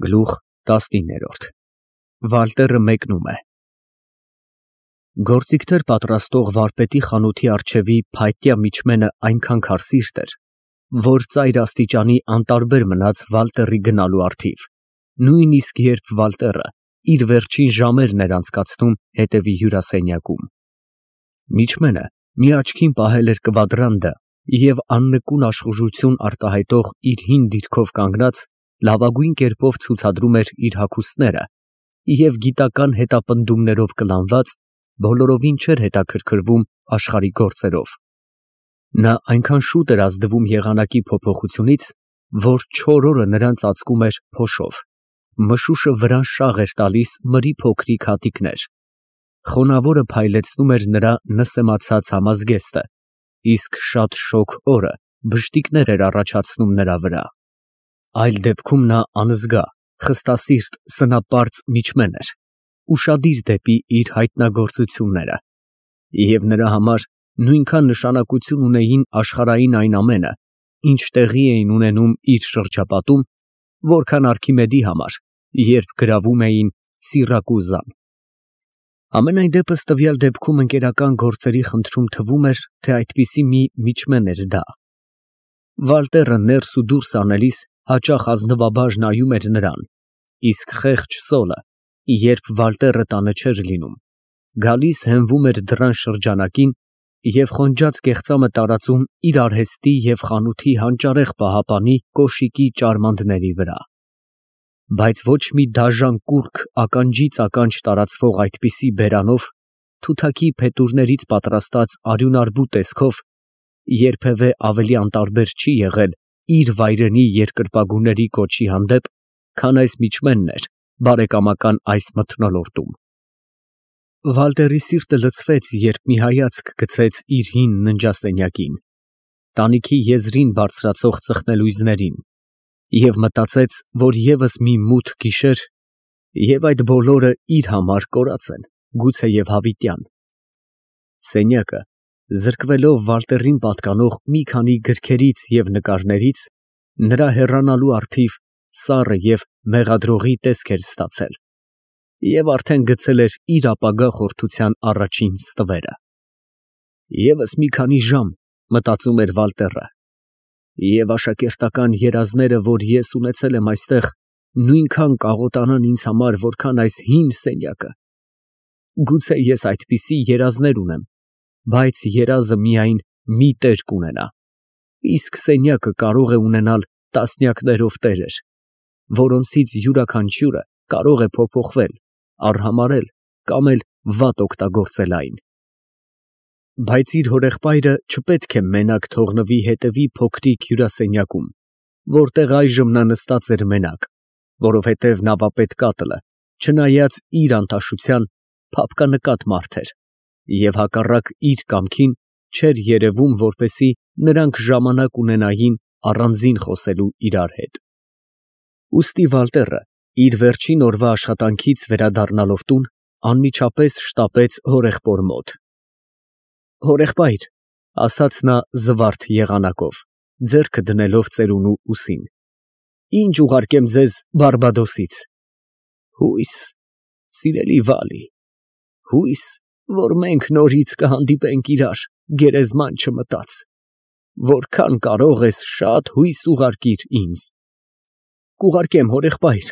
Գլուխ 19 Վալտերը մեկնում է։ Գործիքներ պատրաստող վարպետի խանութի առջևի փայտյա միջմենը այնքան քարսիրտ էր, որ ծայր աստիճանի անտարբեր մնաց Վալտերի գնալու առթիվ, նույնիսկ երբ Վալտերը իր վերջին ժամերն էր անցկացնում հետևի հյուրասենյակում։ Միջմենը մի աչքին պահել էր կվադրանդը և աննկուն աշխուժություն արտահայտող իր հին դիրքով կանգնած, լավագույն կերպով ցուցադրում էր իր հագուստները և գիտական հետապնդումներով կլանված, բոլորովին չէր հետաքրքրվում աշխարհի գործերով։ Նա այնքան շուտ էր ազդվում եղանակի փոփոխությունից, որ չոր օրը նրան ծածկում էր փոշով, մշուշը վրան շաղ էր տալիս մրի փոքրիկ հատիկներ, խոնավորը փայլեցնում էր նրա նսեմացած համազգեստը, իսկ շատ շոգ օրը բշտիկներ էր առաջացնում նրա վրա։ Այլ դեպքում նա անզգա, խստասիրտ, սնապարծ միջմեն էր, ուշադիր դեպի իր հայտնագործությունները, և նրա համար նույնքան նշանակություն ունեին աշխարհային այն ամենը, ինչ տեղի էին ունենում իր շրջապատում, որքան Արքիմեդի համար, երբ գրավում էին Սիրակուզան։ Համենայն դեպս տվյալ դեպքում ընկերական գործերի խնդրում թվում էր, թե այդպիսի մի միջմեն էր դա։ Վալտերը ներս ու դուրս անելիս հաճախ ազնվաբար նայում էր նրան, իսկ խեղճ Սոլը, երբ Վալտերը տանը չէր լինում, գալիս հենվում էր դռան շրջանակին և խոնջած կեղծամը տարածում իր արհեստի և խանութի հանճարեղ պահապանի կոշիկի ճարմանդների վրա։ Բայց ոչ մի դաժան կուռք ականջից ականջ տարածվող այդպիսի բերանով, թութակի փետուրներից պատրաստած արյունարբու տեսքով երբևէ ավելի անտարբեր չի եղել իր վայրենի երկրպագուների կոչի հանդեպ, քան այս միջմենն էր բարեկամական այս մթնոլորտում։ Վալտերի սիրտը լցվեց, երբ մի հայացք գցեց իր հին ննջասենյակին, տանիքի եզրին բարձրացող ծխնելույզներին, և մտածեց, որ ևս մի մութ գիշեր, և այդ բոլորը իր համար կորած են, գուցեև հավիտյան։ Սենյակը, զրկվելով Վալտերին պատկանող մի քանի գրքերից և նկարներից, նրա հեռանալու առթիվ սառը և մեղադրողի տեսք էր ստացել և արդեն գցել էր իր ապագա խորթության առաջին ստվերը։ ԵՒս մի քանի ժամ, մտածում էր Վալտերը, և աշակերտական երազները, որ ես ունեցել եմ այստեղ, նույնքան կաղոտանան ինձ համար, որքան այս հին սենյակը։ Գուցե ես այդպիսի երազներ ունեմ, բայց երազը միայն մի տեր կունենա, իսկ սենյակը կարող է ունենալ տասնյակներով տերեր, որոնցից յուրաքանչյուրը կարող է փոփոխվել, արհամարհել կամ էլ վատ օգտագործել այն։ Բայց իր հորեղբայրը չպետք է մենակ թողնվի հետևի փոքրիկ հյուրասենյակում, որտեղ այժմ նա նստած էր մենակ, որովհետև նավապետ Կատլը, չնայած իր անտաշության, փափկանկատ մարդ էր և հակառակ իր կամքին չէր երևում, որպեսզի նրանք ժամանակ ունենային առանձին խոսելու իրար հետ։ Ուստի Վալտերը իր վերջին օրվա աշխատանքից վերադառնալով տուն, անմիջապես շտապեց հորեղբոր մոտ։ Հորեղբայր, ֊ ասաց նա զվարթ եղանակով, ձեռքը դնելով ծերունու ուսին, ֊ ինչ ուղարկեմ ձեզ Բարբադոսից։ Հույս, սիրելի Վալի, հույս, որ մենք նորից կհանդիպենք իրար, գերեզման չմտած, որքան կարող ես շատ հույս ուղարկիր ինձ։ Կուղարկեմ, հորեղբայր,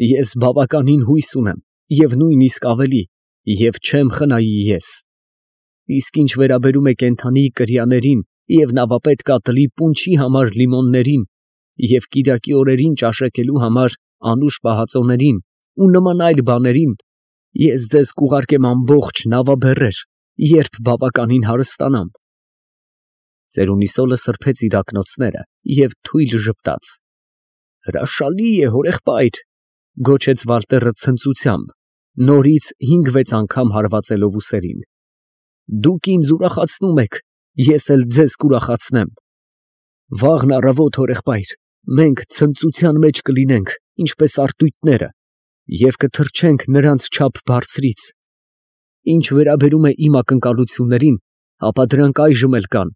ես բավականին հույս ունեմ և նույնիսկ ավելի, և չեմ խնայի ես։ Իսկ ինչ վերաբերում է կենդանի կրիաներին և նավապետ Կատլի պունչի համար լիմոններին և կիրակի օրերին ճաշակելու համար անուշ պահածոներին ու նման այլ բաներին, ես ձեզ կուղարկեմ ամբողջ նավաբեռեր, երբ բավականին հարստանամ։ Ծերունի Սոլը սրբեց իր ակնոցները և թույլ ժպտաց։ Հրաշալի է, հորեղբայր, ֊ գոչեց Վալտերը ցնծությամբ, նորից 5-6 անգամ հարվածելով ուսերին։ Դուք ինձ ուրախացնում եք, ես էլ ձեզ կուրախացնեմ։ Վաղն առավոտ, հորեղբայր, մենք ցնծության մեջ կլինենք, ինչպես արտույտները, և կթռչենք նրանց չափ բարձրից։ Ինչ վերաբերում է իմ ակնկալություններին, ապա դրանք այժմ էլ կան,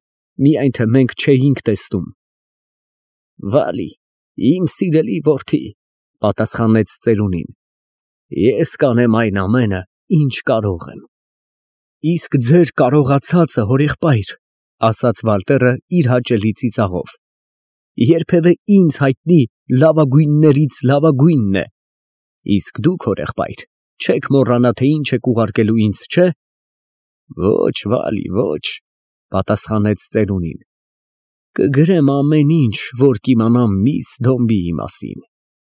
միայն թե մենք չէինք տեսնում։ Վալի, իմ սիրելի որդի, Պատասխանեց ծերունին։ Ես կանեմ այն ամենը, ինչ կարող եմ։ Իսկ ձեր կարողացածը, հորեղբայր, ասաց Վալտերը իր հաճելի ծիծաղով, երբևէ ինձ հայտնի լավագույններից լավագույնն է։ Իսկ դուք, հորեղբայր, չեք մոռանա, թե ինչ եք ուղարկելու ինձ, չէ՞։ Ոչ, Վալի, ոչ, պատասխանեց ծերունին։ Կգրեմ ամեն ինչ, որ կիմանամ միս Դոմբիի մասին,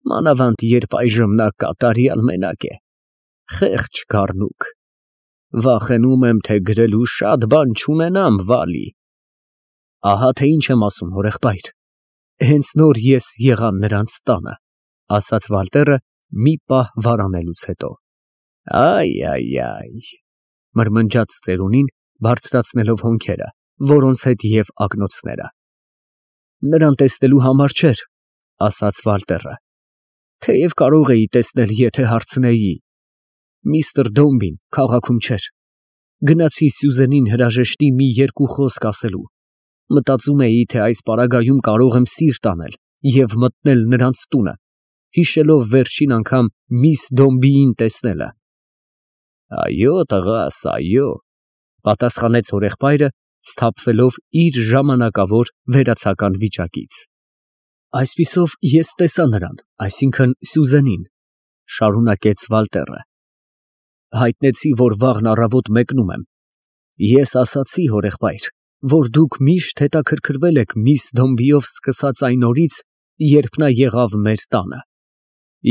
մանավանդ երբ այժմ նա կատարյալ մենակ է, խեղճ գառնուկ։ Վախենում եմ, թե գրելու շատ բան չունենամ, Վալի։ Ահա թե ինչ եմ ասում, հորեղբայր։ Հենց նոր ես եղա նրանց տանը, ասաց Վալտերը մի պահ վարանելուց հետո։ Այ, մրմնջաց ծերունին, բարձրացնելով հոնքերը, որոնց հետ և ակնոցները։ Նրան տեսնելու համար չէր, ասաց Վալտերը, թեև կարող էի տեսնել, եթե հարցնեի։ Միստր Դոմբին քաղաքում չէր։ Գնացի Սյուզենին հրաժեշտի մի երկու խոսք ասելու։ Մտածում էի, թե այս պարագայում կարող եմ սիրտ անել և մտնել նրանց տունը, հիշելով վերջին անգամ միս Դոմբիին տեսնելը։ Այո, տղաս, այո, պատասխանեց հորեղբայրը, սթափվելով իր ժամանակավոր վերացական վիճակից։ Այսպիսով ես տեսա նրան, այսինքն Սյուզենին, շարունակեց Վալտերը։ Հայտնեցի, որ վաղն առավոտ մեկնում եմ։ Ես ասացի, հորեղբայր, որ դուք միշտ հետաքրքրվել եք միս Դոմբիով սկսած այն օրից, երբ նա եղավ մեր տանը,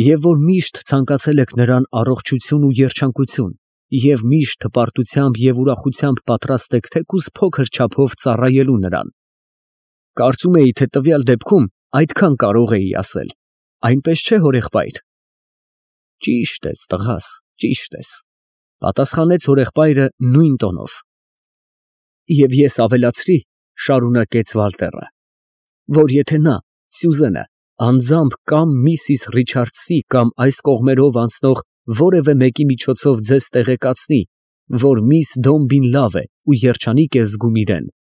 և որ միշտ ցանկացել եք նրան առողջություն ու երջանկություն, և միշտ հպարտությամբ և ուրախությամբ պատրաստ եք թեկուզ փոքր չափով ծառայելու նրան։ Կարծում էի, թե տվյալ դեպքում այդքան կարող էի ասել, այնպես չէ՞, հորեղբայր։ Ճիշտ ես, տղաս, ճիշտ ես, պատասխանեց հորեղբայրը նույն տոնով։ Եվ ես ավելացրի, շարունակեց Վալտերը, որ եթե նա, Սյուզենը, անձամբ կամ Միսիս Ռիչարդսի կամ այս կողմերով անցնող որևէ մեկի միջոցով ձեզ տեղեկացնի, որ միս Դոմբին լավ է ու երջանիկ է զգում իրեն,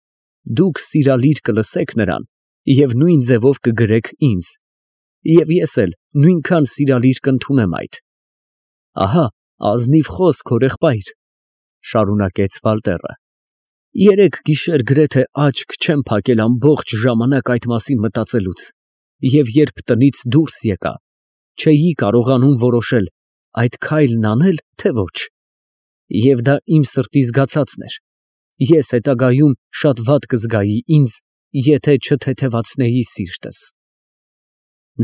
դուք սիրալիր կլսեք նրան և նույն ձևով կգրեք ինձ, և ես էլ նույնքան սիրալիր կընդունեմ այդ։ Ահա ազնիվ խոսք, հորեղբայր, շարունակեց Վալտերը։ Երեկ գիշեր գրեթե աչք չեմ փակել ամբողջ ժամանակ այդ մասին մտածելուց, և երբ տնից դուրս եկա, չէի կարողանում որոշել այդ քայլն անել, թե ոչ։ Եվ դա իմ սրտի զգացածն էր։ Ես հետագայում շատ վատ կզգայի ինձ, եթե չթեթևացնեի սիրտս։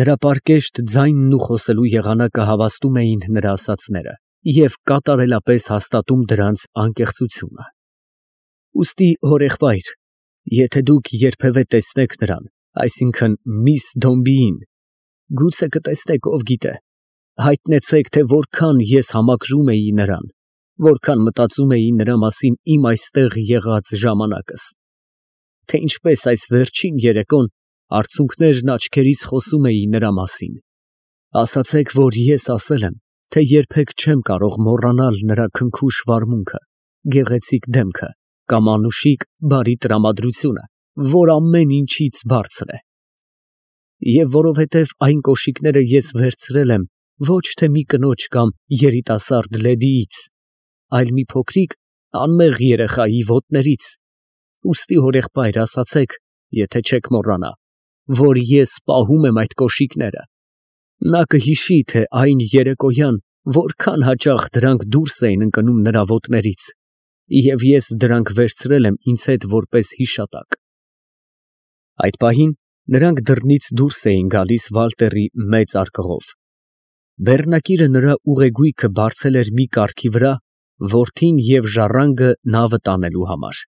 Նրա պարկեշտ ձայնն ու խոսելու եղանակը հավաստում էին նրա ասածները և կատարելապես հաստատում դրանց անկեղծությունը։ Ուստի, հորեղբայր, եթե դուք երբևէ տեսնեք նրան, այսինքն միս Դոմբիին, գուցե կտեսնեք, ով գիտե, հայտնեցեք, թե որքան ես համակրում էի նրան, որքան մտածում էի նրա մասին իմ այստեղ եղած ժամանակս, թե ինչպես այս վերջին երեկոն արցունքներն աչքերիս խոսում էի նրա մասին։ Ասացեք, որ ես ասել եմ, թե երբեք չեմ կարող մոռանալ նրա քնքուշ վարմունքը, գեղեցիկ դեմքը կամ անուշիկ բարի տրամադրությունը, որ ամեն ինչից բարձր է։ Եվ որովհետև այն կոշիկները ես վերցրել եմ ոչ թե մի կնոջ կամ երիտասարդ լեդիից, այլ մի փոքրիկ անմեղ երեխայի ոտներից, ուստի, հորեղբայր, ասացեք, եթե չեք մոռանա, որ ես պահում եմ այդ կոշիկները։ Նա կհիշի, թե այն երեկոյան որքան հաճախ դրանք դուրս էին ընկնում նրա ոտներից, և ես դրանք վերցրել եմ ինձ հետ որպես հիշատակ։ Այդ պահին նրանք դռնից դուրս էին գալիս Վալտերի մեծ արկղով։ Բեռնակիրը նրա ուղեգույքը բարձել էր մի կառքի վրա, որդին և ժառանգը նավը տանելու համար։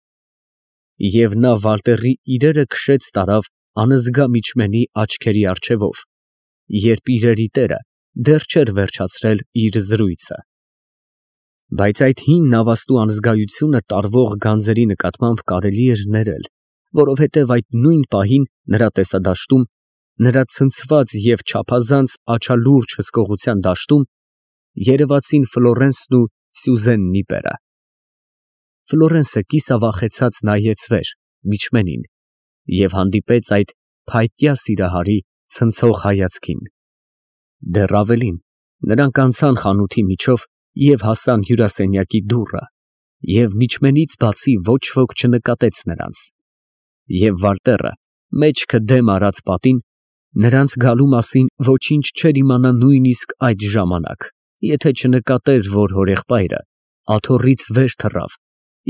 Եվ նա Վալտերի իրերը քշեց տարավ անզգա միջմենի աչքերի առջևով, երբ իրերի տերը դեռ չէր վերջացրել իր զրույցը։ Բայց այդ հին նավաստու անզգայությունը տարվող գանձերի նկատմամբ կարելի էր ներել, որովհետև այդ նույն պահին նրա տեսադաշտում, նրա ցնցված և չափազանց աչալուրջ հսկողության դաշտում երևացին Ֆլորենսն ու Սյուզեն Նիպերը։ Ֆլորենսը կիսավախեցած նայեց վեր, միջմենին, և հանդիպեց այդ փայտյա սիրահարի ցնցող հայացքին։ Դեռ ավելին, նրանք անցան խանութի միջով և հասան հյուրասենյակի դուռը, և միջմենից բացի ոչ ոք չնկատեց նրանց, և Վալտերը մեջքը դեմ արած պատին, նրանց գալու մասին ոչինչ չէր իմանա նույնիսկ այդ ժամանակ, եթե չնկատեր, որ հորեղբայրը աթոռից վեր թռավ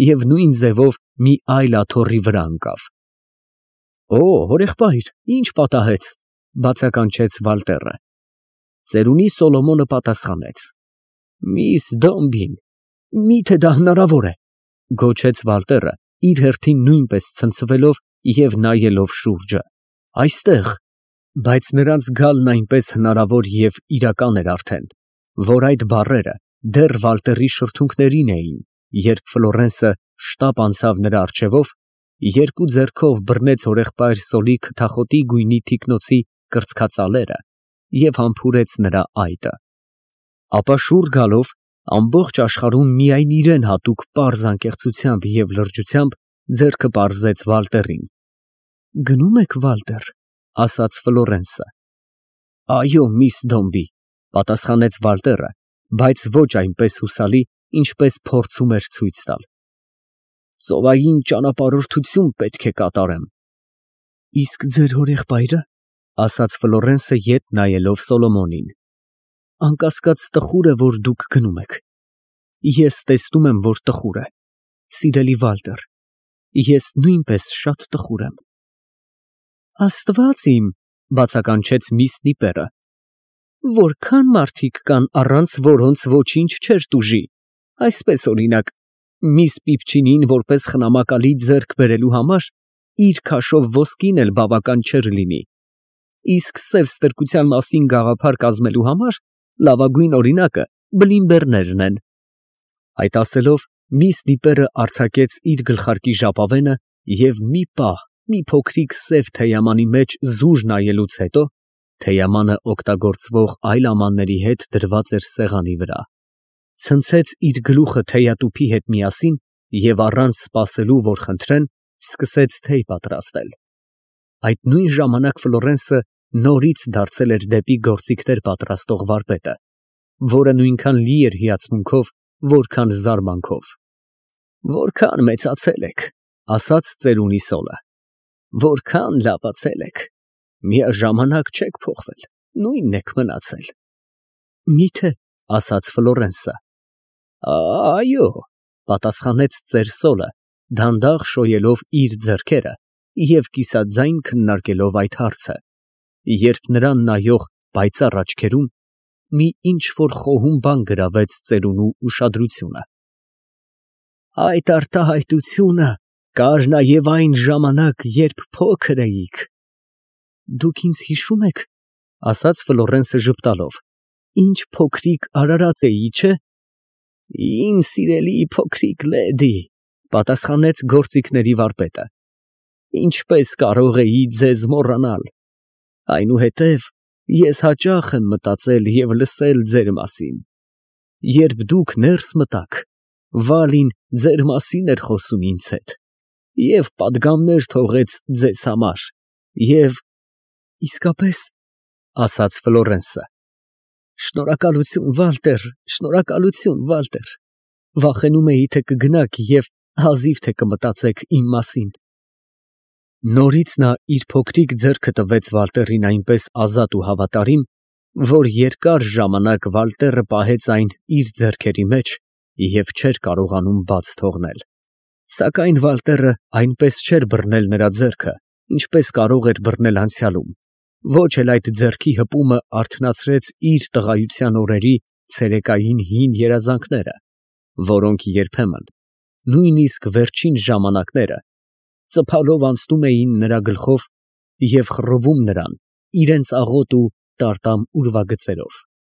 և նույն ձևով մի այլ աթոռի վրա ընկավ։ «Օ, հորեղբայր, ի՞նչ պատահեց», ֊ բացականչեց Վալտերը։ Ծերունի Սոլոմոնը պատասխանեց. «Միս Դոմբին, մի՞թե դա հնարավոր է», ֊ գոչեց Վալտերը, իր հերթին նույնպես ցնցվելով և նայելով շուրջը։ «Այստեղ»։ Բայց նրանց գալն այնպես հնարավոր և իրական էր արդեն, որ այդ բառերը դեռ Վալտերի շրթունքներին էին, երբ Ֆլորենսը շտապ անցավ նրա առջևով, երկու ձեռքով բռնեց հորեղբայր Սոլի քթախոտի գույնի թիկնոցի կրծքածալերը և համբուրեց նրա այտը։ Ապա շուռ գալով, ամբողջ աշխարհում միայն իրան հատուկ պարզ անկեղծությամբ և լրջությամբ ձեռքը պարզեց Վալտերին։ «Գնում եք, Վալտեր», ֊ ասաց Ֆլորենսը։ «Այո, միս Դոմբի», ֊ պատասխանեց Վալտերը, բայց ոչ այնպես հուսալի, ինչպես փորձում էր ցույց տալ։ «Ծովային ճանապարհորդություն պետք է կատարեմ»։ «Իսկ ձեր հորեղբայրը», ֊ ասաց Ֆլորենսը ետ նայելով Սոլոմոնին։ «Անկասկած տխուր է, որ դուք գնում եք։ Ես տեսնում եմ, որ տխուր է, սիրելի Վալտեր, ես նույնպես շատ տխուր եմ»։ «Աստված իմ», ֊ բացականչեց միս Դիպերը, «որքան մարդիկ կան, առանց որոնց ոչինչ չէր տուժի, այսպես օրինակ, միս Պիպչինին որպես խնամակալի ձեռք բերելու համար իր քաշով ոսկին էլ բավական չէր լինի, իսկ սև ստրկության մասին գաղափար կազմելու համար լավագույն օրինակը բլինբերներն են»։ Այդ ասելով, միս Դիպերը արձակեց իր գլխարկի ժապավենը և մի պահ մի փոքրիկ սև թեյամանի մեջ զուր նայելուց հետո (թեյամանը օգտագործվող այլ ամանների հետ դրված էր սեղանի վրա) ցնցեց իր գլուխը թեյատուփի հետ միասին և առանց սպասելու, որ խնդրեն, սկսեց թեյ պատրաստել։ Այդ նույն ժամանակ Ֆլորենսը նորից դարձել էր դեպի գործիքներ պատրաստող վարպետը, որը նույնքան լի էր հիացմունքով, որքան զարմանքով։ «Որքան մեծացել եք, ֊ ասաց ծերունի Սոլը, ֊ որքան լավացել եք, միաժամանակ չեք փոխվել, նույնն եք մնացել»։ «Մի՞թե», ֊ ասաց Ֆլորենսը։ «Այո», ֊ պատասխանեց ծեր Սոլը, դանդաղ շոյելով իր ձեռքերը և կիսաձայն քննարկելով այդ հարցը, երբ նրան նայող պայծառ աչքերում մի ինչ֊որ խոհում բան գրավեց ծերունու ուշադրությունը։ «Այդ արտահայտությունը կար նաև այն ժամանակ, երբ փոքր էիք»։ «Դուք ինձ հիշո՞ւմ եք, ֊ ասաց Ֆլորենսը ժպտալով, ֊ ինչ փոքրիկ արարած էի, չէ՞։ «Իմ սիրելի փոքրիկ լեդի», ֊ պատասխանեց գործիքների վարպետը, ֊ ինչպես կարող էի ձեզ մոռանալ։ Այնուհետև ես հաճախ եմ մտածել և լսել ձեր մասին։ Երբ դուք ներս մտաք, Վալին ձեր մասին էր խոսում ինձ հետ և պատգամներ թողեց ձեզ համար, և… ֊ Իսկապես, ֊ ասաց Ֆլորենսը, ֊ շնորհակալություն, Վալտեր, շնորհակալություն, Վալտեր, վախենում էի, թե կգնաք և հազիվ թե կմտածեք իմ մասին։ Նորից նա իր փոքրիկ ձեռքը տվեց Վալտերին այնպես ազատ ու հավատարիմ, որ երկար ժամանակ Վալտերը պահեց այն իր ձեռքերի մեջ և չէր կարողանում բաց թողնել։ Սակայն Վալտերը այնպես չէր բռնել նրա ձեռքը, ինչպես կարող էր բռնել անցյալում, ոչ էլ այդ ձեռքի հպումը արթնացրեց իր տղայության օրերի ցերեկային հին երազանքները, որոնք երբեմն, նույնիսկ վերջին ժամանակները, ծփալով անցնում էին նրա գլխով և խռովում նրան իրենց աղոտ ու տարտամ ուրվագծերով։